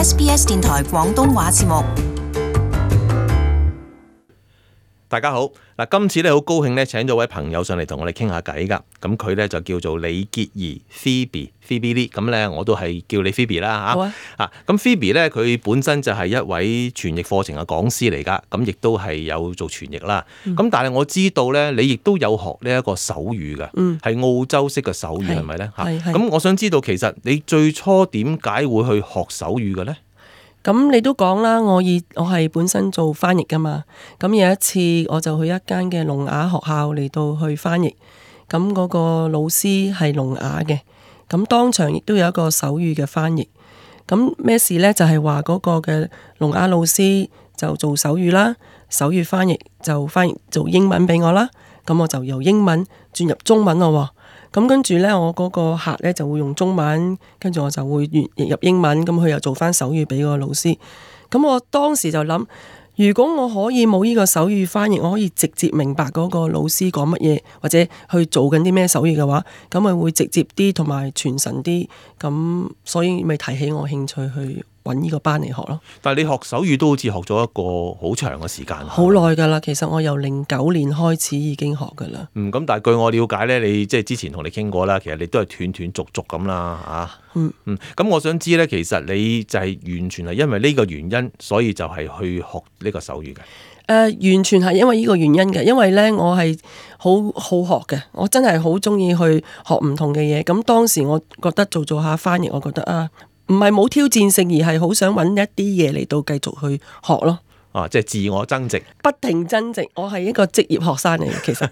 SBS 電台廣東話節目。大家好，嗱，今次咧好高興咧請咗位朋友上嚟同我哋傾下偈噶，咁佢咧就叫做李潔儀 Phoebe Lee， 咁咧我都係叫你 Phoebe 啦嚇。好啊。咁 Phoebe 咧佢本身就係一位傳譯課程嘅講師嚟噶，咁亦都係有做傳譯啦。咁但係我知道咧，你亦都有學呢一個手語嘅，係澳洲式嘅手語係咪咧嚇？咁我想知道其實你最初點解會去學手語嘅咧？咁你都講啦，我係本身做翻譯噶嘛。咁有一次我就去一間嘅聾啞學校嚟到去翻譯，咁嗰個老師係聾啞嘅，咁當場亦都有一個手語嘅翻譯。咁咩事呢？就係話嗰個嘅聾啞老師就做手語啦，手語翻譯就翻譯做英文俾我啦。咁我就由英文轉入中文咯。咁跟住呢，我嗰個客呢就會用中文，跟住我就會譯入英文，咁佢又做翻手語俾個老師。咁我當時就諗，如果我可以冇呢個手語翻譯，我可以直接明白嗰個老師講乜嘢，或者去做緊啲咩手語嘅話，咁咪會直接啲同埋傳神啲。咁所以咪提起我興趣去揾呢個班嚟學咯。但係你學手語都好似學咗一個好長嘅時間，好耐㗎啦。其實我由09年開始已經學㗎啦。咁但係據我了解咧，你即係之前同你傾過啦，其實你都係斷斷續續咁啦，咁我想知咧，其實你就係完全係因為呢個原因，所以就係去學呢個手語嘅。完全係因為呢個原因嘅，因為咧我係好學嘅，我真係好中意去學唔同嘅嘢。咁當時我覺得做下翻譯，我覺得唔係冇挑戰性，而係好想揾一啲嘢嚟到繼續去學咯。即係自我增值，不停增值。我係一個職業學生嚟嘅，其實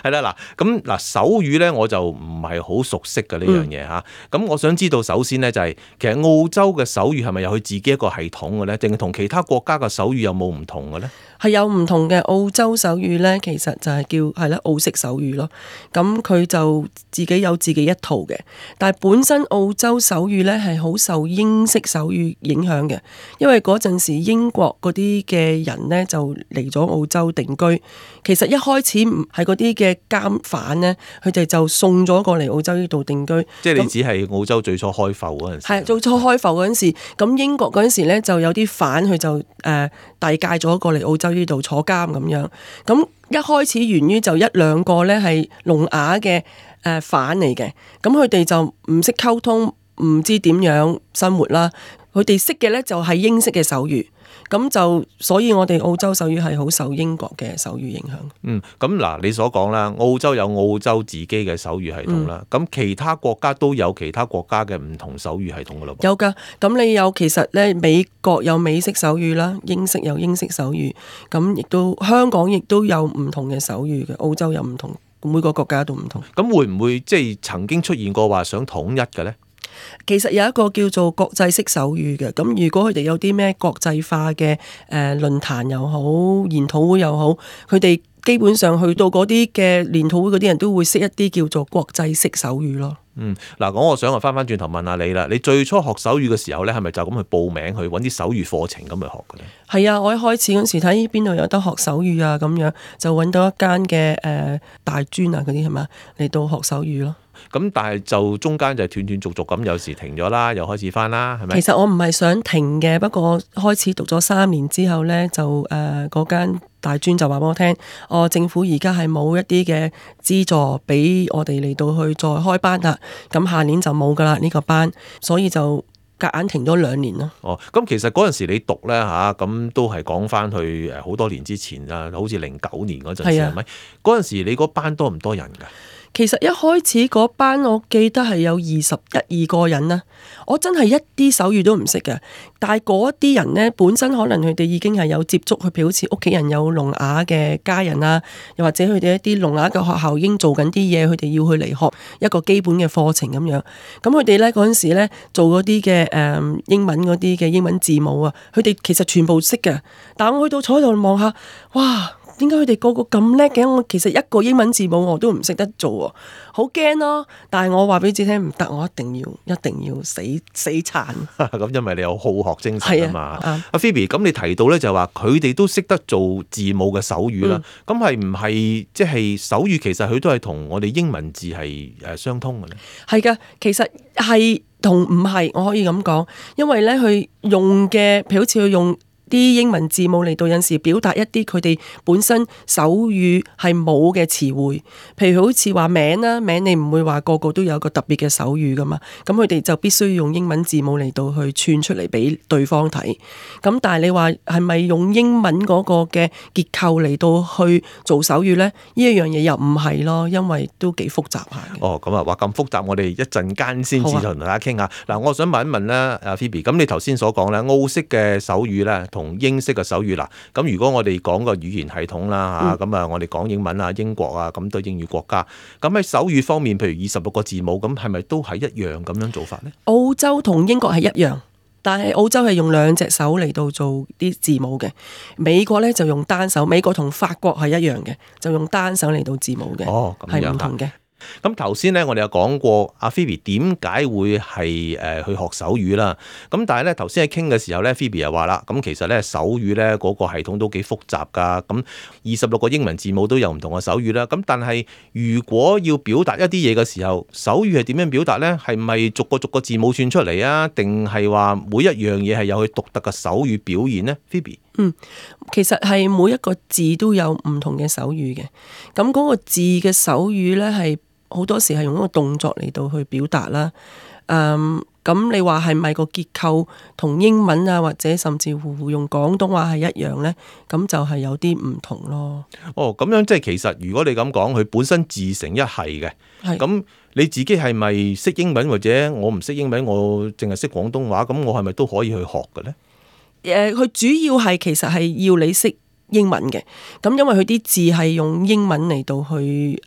係啦。咁手語咧，我就唔係好熟悉嘅呢樣嘢嚇。咁我想知道，首先咧就係其實澳洲嘅手語係咪有佢自己一個系統嘅咧，定係同其他國家嘅手語有冇唔同嘅咧？係有唔同嘅。澳洲手語咧，其實就係叫澳式手語咯。咁佢就自己有自己一套嘅，但係本身澳洲手語咧係好受英式手語影響嘅，因為嗰陣時英國嗰啲嘅人咧就嚟咗澳洲定居。其實一開始唔係嗰啲嘅監犯咧，佢哋就送咗過嚟澳洲呢度定居。即係你只係澳洲最初開埠嗰陣時。係最初開埠嗰陣時，咁英國嗰陣時咧就有啲犯佢就遞解咗過嚟澳洲呢度坐監咁樣。咁一開始源於就一兩個咧係聾啞嘅犯嚟嘅，咁佢哋就唔識溝通，唔知點樣生活啦。佢哋識嘅咧就係英式嘅手語。咁就所以我哋澳洲手語係好受英國嘅手語影響。咁嗱，你所講啦，澳洲有澳洲自己嘅手語系統啦，咁其他國家都有其他國家嘅唔同手語系統噶咯。有㗎，咁你有其實咧美國有美式手語啦，英式有英式手語，咁亦都香港亦都有唔同嘅手語嘅，澳洲有唔同，每個國家都唔同。咁會唔會即係曾經出現過話想統一嘅咧？其實有一個叫做國際式手語嘅，咁如果佢哋有啲咩國際化嘅論壇又好，研討會又好，佢哋基本上去到嗰啲嘅研討會嗰啲人都會識一啲叫做國際式手語咯。嗱，我想翻轉頭問下你啦，你最初學手語嘅時候咧，係咪就咁去報名去揾啲手語課程咁去學嘅咧？係啊，我一開始嗰時睇邊度有得學手語啊，咁樣就揾到一間嘅大專啊嗰啲係嘛嚟到學手語咯。咁但係就中間就斷斷續續咁，有時停咗啦，又開始翻啦，係咪？其實我唔係想停嘅，不過開始讀咗3年之後呢，就嗰間大專就話俾我聽，政府而家係冇一啲嘅資助俾我哋嚟到去再開班啦，咁下年就冇噶啦呢個班，所以就夾硬停咗2年咯。咁其實嗰陣時你讀呢，咁都係講翻去好多年之前啊，好似09年嗰陣時係咪？嗰陣時你嗰班多唔多人㗎？其實一開始嗰班我記得係有21-22個人啦，我真係一啲手語都唔識嘅。但係嗰啲人呢，本身可能佢哋已經係有接觸，譬如好似屋企人有聾啞嘅家人啦，又或者佢哋一啲聾啞嘅學校已經做緊啲嘢，佢哋要去嚟學一個基本嘅課程咁樣。咁佢哋呢嗰陣時呢做嗰啲嘅英文嗰啲嘅英文字母啊，佢哋其實全部識嘅。但我去到坐喺度望下，哇！點解佢哋個個咁叻嘅？我其實一個英文字母我都唔識得做喎，好驚咯！但係我話俾自己聽唔得，我一定要死撐。咁因為你有好學精神啊嘛。阿 Phoebe， 咁你提到咧就話佢哋都識得做字母嘅手語啦。咁係唔係即係手語其實佢都係同我哋英文字係相通嘅咧？係㗎，其實係同唔係，我可以咁講，因為咧佢用嘅，譬如好似佢用啲英文字母嚟到有時表達一啲佢哋本身手語係冇嘅詞彙，譬如好似話名啦，名你唔會話個個都有個特別嘅手語噶嘛，咁佢哋就必須要用英文字母嚟到去串出嚟俾對方睇。咁但係你話係咪用英文嗰個嘅結構嚟到去做手語呢？呢一樣嘢又唔係咯，因為都幾複雜下嘅。哦，咁啊，話咁複雜，我哋一陣間先至同大家傾下。嗱，我想問一問咧，阿 Phoebe，咁你頭先所講咧，澳式嘅手語咧，同英式嘅手語啦，咁如果我哋講個語言系統啦嚇，咁啊我哋講英文啊、英國啊，咁都英語國家，咁喺手語方面，譬如26個字母，咁係咪都係一樣咁樣做法呢？澳洲同英國係一樣，但係澳洲係用兩隻手嚟到做啲字母嘅，美國咧就用單手，美國同法國係一樣嘅，就用單手嚟到字母嘅，係唔同嘅。咁頭先咧，我哋有講過阿 Phoebe 點解會係去學手語啦。咁但係咧頭先喺傾嘅時候咧，Phoebe 又話啦，咁其實咧手語咧嗰個系統都幾複雜㗎。咁26個英文字母都有唔同嘅手語啦。咁但係如果要表達一啲嘢嘅時候，手語係點樣表達咧？係咪逐個字母串出嚟啊？定係話每一樣嘢係有佢獨特嘅手語表現呢？ Phoebe？其實係每一個字都有唔同嘅手語嘅。咁嗰個字嘅手語咧係好多時係用一個動作嚟到去表達啦。咁你話係咪個結構同英文啊，或者甚至乎用廣東話係一樣呢？咁就係有啲唔同咯。哦，咁樣即係其實如果你咁講，佢本身自成一系嘅。咁你自己係咪識英文，或者我唔識英文，我淨係識廣東話，咁我係咪都可以去學嘅呢？佢主要係其實係要你識英文嘅，咁因為佢啲字係用英文嚟到去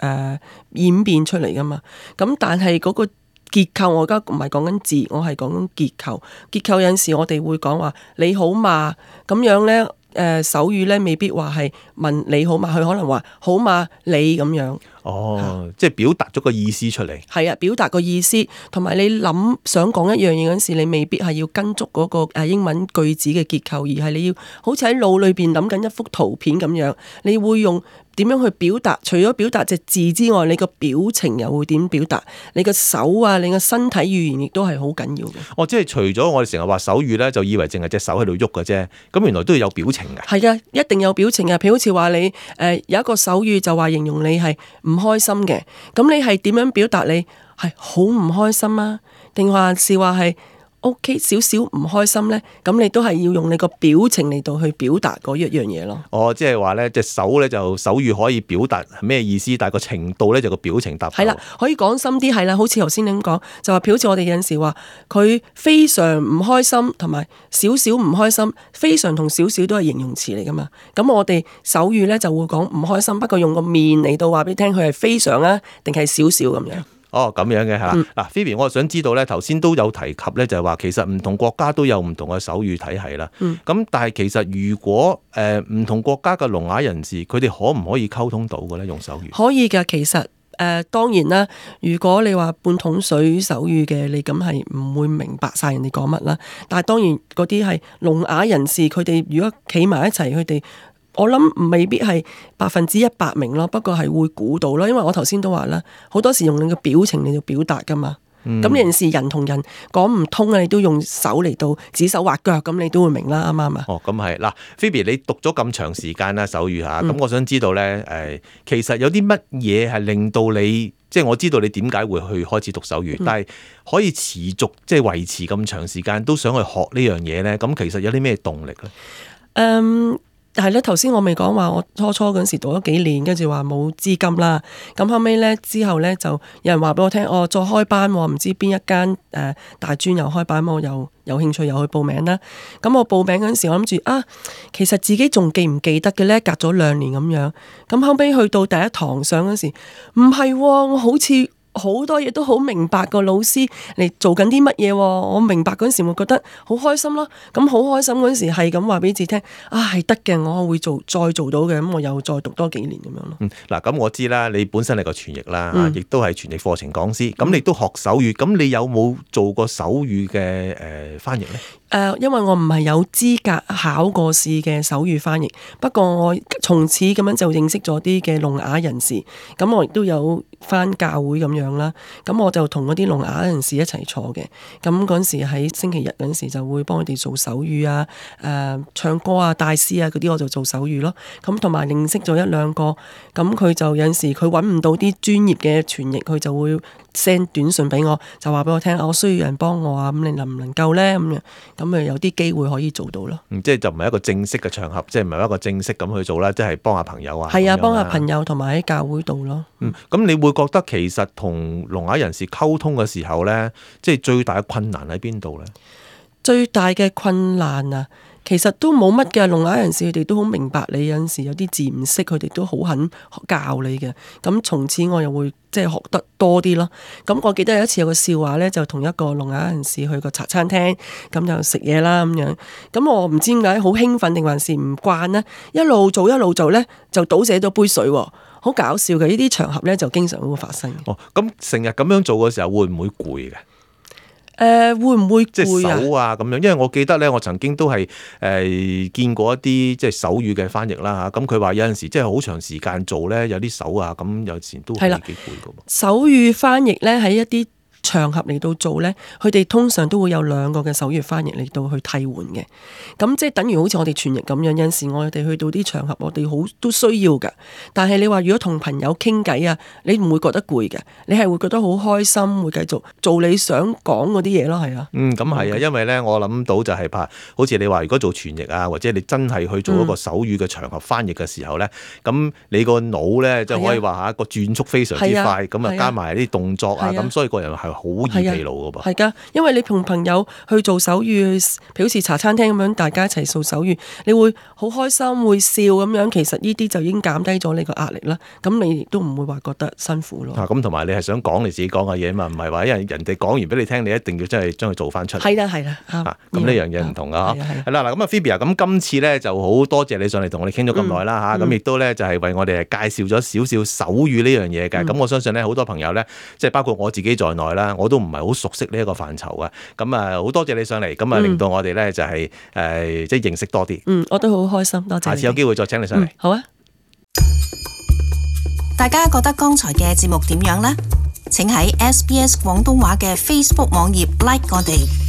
演變出嚟噶嘛，咁但係嗰個結構我而家唔係講緊字，我係講緊結構。結構有陣時我哋會講話你好嘛，咁樣呢，手語呢未必話係問你好嘛，佢可能話好嘛你咁樣。哦，即係表達咗個意思出嚟。係啊，表達個意思，同埋你想講一樣嘢嗰陣時，你未必係要跟足嗰個英文句子嘅結構，而係你要好似喺腦裏邊諗緊一幅圖片咁樣，你會用點樣去表達？除咗表達隻字之外，你個表情又會點表達？你個手啊，你個身體語言亦都係好緊要嘅。哦，即係除咗我哋成日話手語咧，就以為淨係隻手喺度喐嘅啫，咁原來都要有表情嘅。係啊，一定有表情嘅。譬如好似話你有一個手語就話形容你係唔開心嘅，咁你係點樣表達？你係好唔開心啊？定還是話係 OK 少少唔開心呢？咁你都係要用你個表情嚟到去表達嗰一樣嘢咯。哦，即係話咧，隻手咧就手語可以表達咩意思，但係個程度咧就個表情搭配。係啦，可以講深啲係啦，好似頭先你咁講，就話譬如好似我哋有陣時話佢非常唔開心，同埋少少唔開心，非常同少少都係形容詞嚟噶嘛。咁我哋手語咧就會講唔開心，不過用個面嚟到話俾你聽，佢係非常啊，定係少少咁樣。哦，咁樣嘅係啦。嗱，Phoebe，我想知道咧，頭先都有提及咧，就係話其實唔同國家都有唔同嘅手語體系啦。咁但係其實如果唔同國家嘅聾啞人士，佢哋可唔可以溝通到嘅咧？用手語可以㗎，其實當然啦。如果你話半桶水手語嘅，你咁係唔會明白晒人哋講乜啦。但係當然嗰啲係聾啞人士，佢哋如果企埋一齊，佢哋我諗未必係100%明咯，不過係會估到咯。因為我頭先都話啦，好多時用你嘅表情嚟到表達噶嘛。咁有陣時人同人講唔通啊，你都用手嚟到指手畫腳，咁你都會明啦，啱唔啱啊？哦，咁係嗱，Phoebe，你讀咗咁長時間啦手語嚇，咁我想知道咧，其實有啲乜嘢係令到你，即係我知道你點解會去開始讀手語，但係可以持續即係維持咁長時間都想去學呢樣嘢咧？咁其實有啲咩動力咧？係咧，頭先我未講話，我初嗰陣時讀咗幾年，跟住話冇資金啦。咁後尾咧之後咧，就有人話俾我聽，再開班，唔知邊一間大專又開班，我又有興趣又去報名啦。咁我報名嗰陣時，我諗住其實自己仲記唔記得嘅咧？隔咗2年咁樣。咁後尾去到第一堂上嗰時，唔係，我好似好多嘢都好明白個老師嚟做緊啲乜嘢，我明白嗰陣時會覺得好開心咯。咁好開心嗰陣時係咁話俾自己聽，係得嘅，我會再做到嘅。咁我又再讀多幾年咁樣咯。嗱，咁我知啦，你本身係個傳譯啦，亦都係傳譯課程講師。咁你都學手語，咁你有冇做過手語嘅翻譯呢？因為我唔係有資格考過試嘅手語翻譯，不過我從此咁樣就認識咗啲嘅聾啞人士，咁我亦都有返教會咁樣啦，咁我就同嗰啲聾啞人士一齊坐嘅，咁嗰陣時喺星期日嗰陣時就會幫佢哋做手語啊、唱歌啊、帶詩啊嗰啲，我就做手語咯，咁同埋認識咗一兩個，咁佢就有陣時佢揾唔到啲專業嘅傳譯，佢就會 send 短信俾我，就話俾我聽，我需要人幫我啊，咁你能唔能夠呢？咁咪有啲機會可以做到咯。即係就唔係一個正式嘅場合，即係唔係一個正式咁去做啦，即係幫下朋友啊。係啊，幫下朋友同埋喺教會度咯。咁你會覺得其實同聾啞人士溝通嘅時候呢，即係最大嘅困難喺邊度呢？最大嘅困難啊，其實都冇乜嘅，聾啞人士佢哋都好明白你，有陣時有啲字唔識，佢哋都好肯教你嘅。咁從此我又會即係學得多啲咯。咁我記得有一次有個笑話呢，就同一個聾啞人士去個茶餐廳，咁就食嘢啦咁樣。咁我唔知點解好興奮定還是唔慣呢，一路做呢，就倒瀉咗杯水喎，好搞笑嘅。呢啲場合呢，就經常會發生。咁成日咁樣做嘅時候會唔會攰嘅？會唔會即係攰啊？手啊咁樣，因為我記得咧，我曾經都係見過一啲即係手語嘅翻譯啦嚇。咁佢話有陣時即係好長時間做咧，有啲手啊咁有時都係幾攰㗎喎。手語翻譯咧喺一啲場合嚟到做呢，佢哋通常都會有2個嘅手語翻譯嚟到去替換嘅。咁即係等於好似我哋傳譯咁樣，有陣時我哋去到啲場合，我哋好都需要㗎。但係你話如果同朋友傾偈啊，你唔會覺得攰嘅，你係會覺得好開心，會繼續做你想講嗰啲嘢咯，係啊。咁係啊，因為呢，我諗到就係怕，好似你話如果做傳譯啊，或者你真係去做一個手語嘅場合翻譯嘅時候呢，咁你個腦呢，就可以話個轉速非常之快，咁啊加埋啲動作啊，咁所以個人係好易疲勞噶噃。係㗎，因為你同朋友去做手語，譬如好似茶餐廳咁樣，大家一齊做手語，你會好開心，會笑咁樣。其實呢啲就已經減低咗你個壓力啦。咁你亦都唔會話覺得辛苦咯。咁同埋你係想講你自己講嘅嘢嘛，唔係話因為人哋講完俾你聽，你一定要真係將佢做翻出嚟。係啦，咁呢樣嘢唔同啊。係啦，嗱咁啊 Phoebe 啊，咁今次咧就好多謝你上嚟同我哋傾咗咁耐啦嚇。咁亦都咧就係為我哋介紹咗少少手語呢樣嘢嘅。咁我相信咧好多朋友咧，即係包括我自己在內啦，我都唔係好熟悉呢一個範疇嘅。咁啊好多謝你上嚟，咁啊令到我哋咧就係即係認識多啲。我都好開心，多謝。下次有機會再請你上嚟。好啊。大家覺得剛才嘅節目點樣呢？請喺SBS 廣東話嘅 Facebook 網頁 like 我哋。